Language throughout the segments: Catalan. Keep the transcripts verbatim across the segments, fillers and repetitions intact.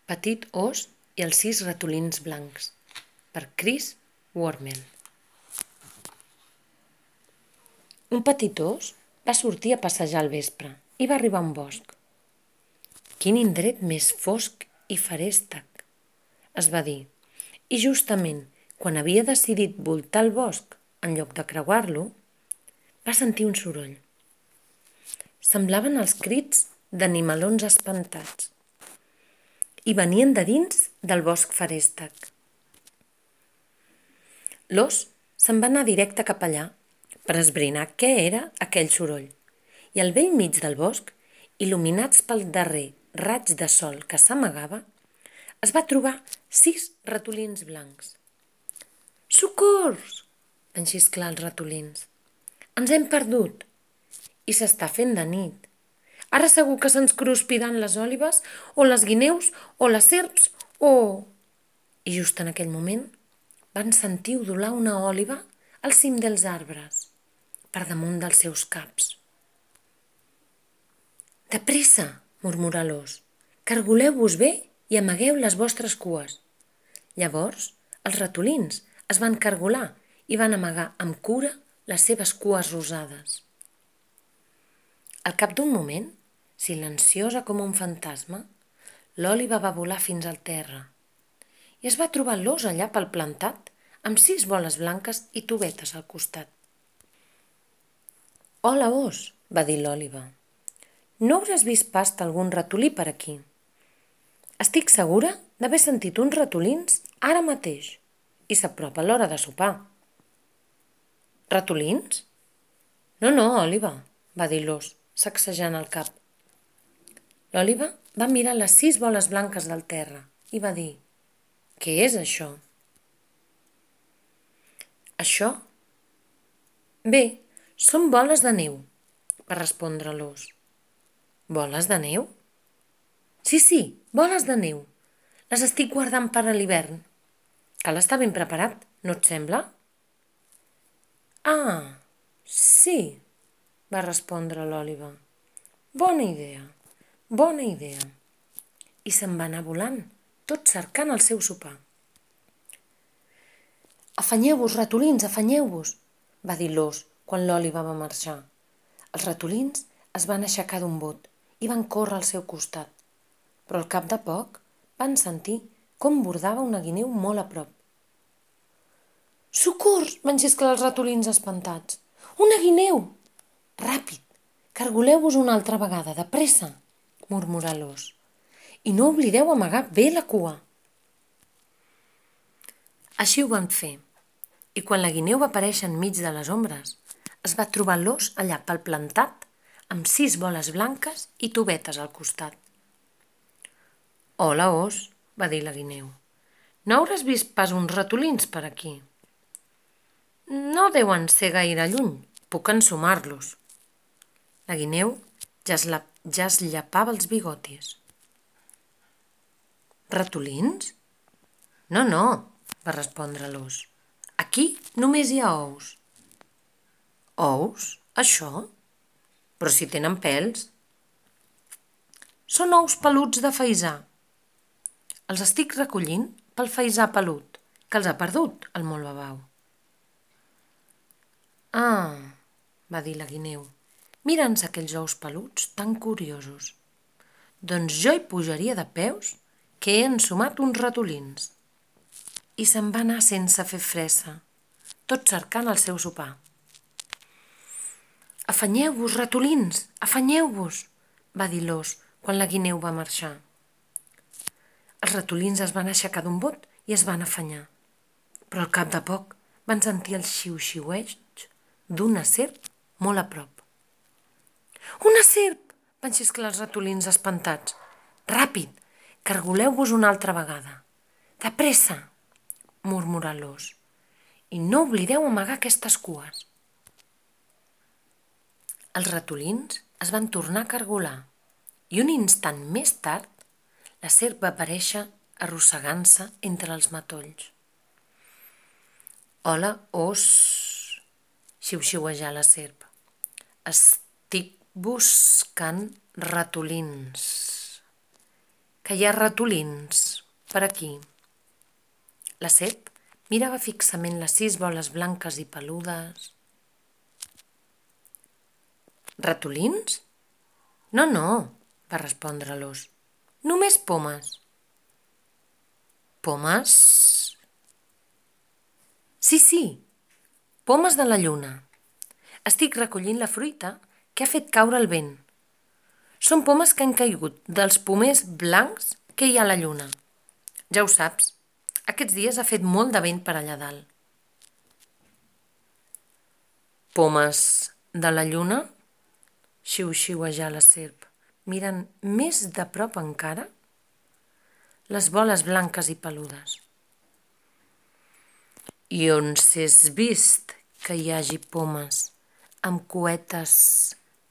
Petit ós i els sis ratolins blancs, per Chris Wormel. Un petit ós va sortir a passejar al vespre i va arribar a un bosc. «Quin indret més fosc i feréstec», es va dir, i justament quan havia decidit voltar el bosc en lloc de creuar-lo, va sentir un soroll. Semblaven els crits d'animalons espantats i venien de dins del bosc feréstec. L'ós se'n va anar directe cap allà per esbrinar què era aquell soroll i al bell mig del bosc, il·luminats pel darrer raig de sol que s'amagava, es va trobar sis ratolins blancs. «Socors!», van xisclar els ratolins. «Ens hem perdut i s'està fent de nit. Ara segur que se'ns cruspiran les òlibes o les guineus o les serps o...» I just en aquell moment van sentir udolar una òliba al cim dels arbres, per damunt dels seus caps. «De pressa!», murmurà l'ós, «cargoleu-vos bé i amagueu les vostres cues». Llavors els ratolins es van cargolar i van amagar amb cura les seves cues rosades. Al cap d'un moment, silenciosa com un fantasma, l'òliba va volar fins al terra i es va trobar l'ós allà palplantat amb sis boles blanques i tovetes al costat. «Hola, ós», va dir l'òliba. «No hauràs vist pas algun ratolí per aquí? Estic segura d'haver sentit uns ratolins ara mateix i s'apropa l'hora de sopar». «Ratolins? No, no, òliba», va dir l'ós, sacsejant el cap. L'òliba va mirar les sis boles blanques del terra i va dir: «Què és això?» «Això? Bé, són boles de neu», va respondre l'ós. «Boles de neu?» «Sí, sí, boles de neu. Les estic guardant per a l'hivern. Cal estar ben preparat, no et sembla?» «Ah, sí», va respondre l'òliba. «Bona idea, bona idea». I se'n va anar volant, tot cercant el seu sopar. «Afanyeu-vos, ratolins, afanyeu-vos», va dir l'ós quan l'òliba va marxar. Els ratolins es van aixecar d'un bot i van córrer al seu costat, però al cap de poc van sentir com bordava una guineu molt a prop. «Socors!», van xisclar els ratolins espantats. «Una guineu!» «Ràpid, cargoleu-vos una altra vegada, de pressa», murmurà l'ós. «I no oblideu amagar bé la cua». Així ho van fer, i quan la guineu va aparèixer enmig de les ombres, es va trobar l'ós allà palplantat amb sis boles blanques i tovetes al costat. «Hola, ós», va dir la guineu. «No hauràs vist pas uns ratolins per aquí?» «No deuen ser gaire lluny, puc ensumar-los». La guineu ja es, la, ja es llepava els bigotis. «Ratolins? No, no», va respondre l'ós. «Aquí només hi ha ous». «Ous? Això? Però si tenen pèls». «Són ous peluts de faisà. Els estic recollint pel faisà pelut, que els ha perdut el molt babau». «Ah», va dir la guineu, «mira'ns aquells ous peluts tan curiosos. Doncs jo hi pujaria de peus, que he ensumat uns ratolins». I se'n va anar sense fer fressa, tot cercant el seu sopar. «Afanyeu-vos, ratolins, afanyeu-vos», va dir l'ós quan la guineu va marxar. Els ratolins es van aixecar d'un bot i es van afanyar, però al cap de poc van sentir el xiu-xiueig d'una serp molt a prop. «Una serp!», van xisclar els ratolins espantats. «Ràpid, cargoleu-vos una altra vegada. De pressa!», murmurà l'ós. «I no oblideu amagar aquestes cues». Els ratolins es van tornar a cargolar i un instant més tard la serp va aparèixer arrossegant-se entre els matolls. «Hola, ós», xiu-xiuejà la serp. «Estic buscant ratolins». que hi ha ratolins per aquí. La serp mirava fixament les sis boles blanques i peludes. Ratolins? No, no, va respondre l'ós. Només pomes. Pomes? Sí, sí, pomes de la lluna. Estic recollint la fruita que ha fet caure el vent. Són pomes que han caigut dels pomers blancs que hi ha a la lluna. Ja ho saps, aquests dies ha fet molt de vent per allà dalt. Pomes de la lluna? Xiu-xiuejà la serp, mirant més de prop encara les boles blanques i peludes. I on s'és vist que hi hagi pomes amb cuetes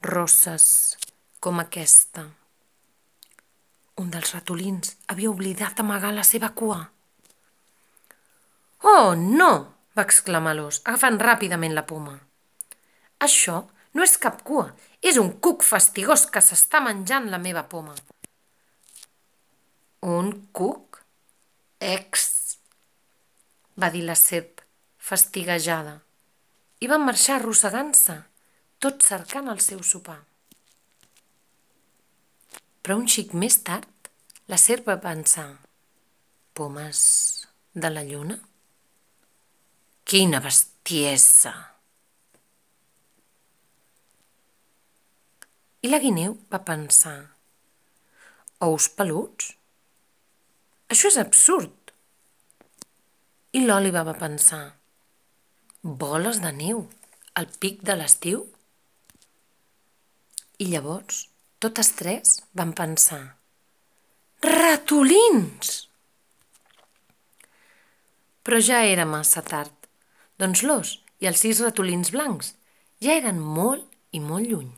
rosses com aquesta? Un dels ratolins havia oblidat amagar la seva cua. Oh, no! Va exclamar l'ós, agafant ràpidament la poma. Això no és cap cua, és un cuc fastigós que s'està menjant la meva poma. Un cuc? Ex! Va dir la serp, fastiguejada, i van marxar arrossegant-se, tot cercant el seu sopar. Però un xic més tard, la serp va pensar: pomes de la lluna? Quina bestiesa! I la guineu va pensar: ous peluts? Això és absurd. I l'òliba va pensar: boles de neu al pic de l'estiu? I llavors, totes tres van pensar: ratolins! Però ja era massa tard, doncs l'ós i els sis ratolins blancs ja eren molt i molt lluny.